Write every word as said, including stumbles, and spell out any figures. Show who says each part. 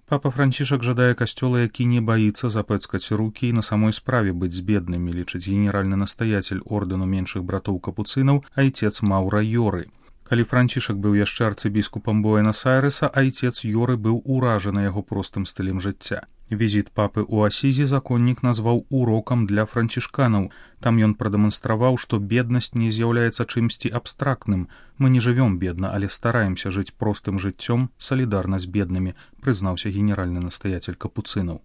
Speaker 1: Папа Францішак жадае касцёла, які не баіцца запэцкаць рукі і на самой справе быць з беднымі, лічыць генеральны настаятель ордэну меншых братоў капуцынаў айцец Маўра Йоры. Калі Францішак быў яшчэ арцыбіскупам Буэнас-Айрэса, айцец Йоры быў уражаны яго простым стылем жыцця. Візіт папы ў Асізі законнік назваў урокам для францішканаў. Там ён прадэманстраваў, што беднасць не з'яўляецца чымсьці абстрактным. Мы не жывём бедна, але стараемся жыць простым жыццём, салідарна з беднымі, прызнаўся генеральны настаятель капуцынаў.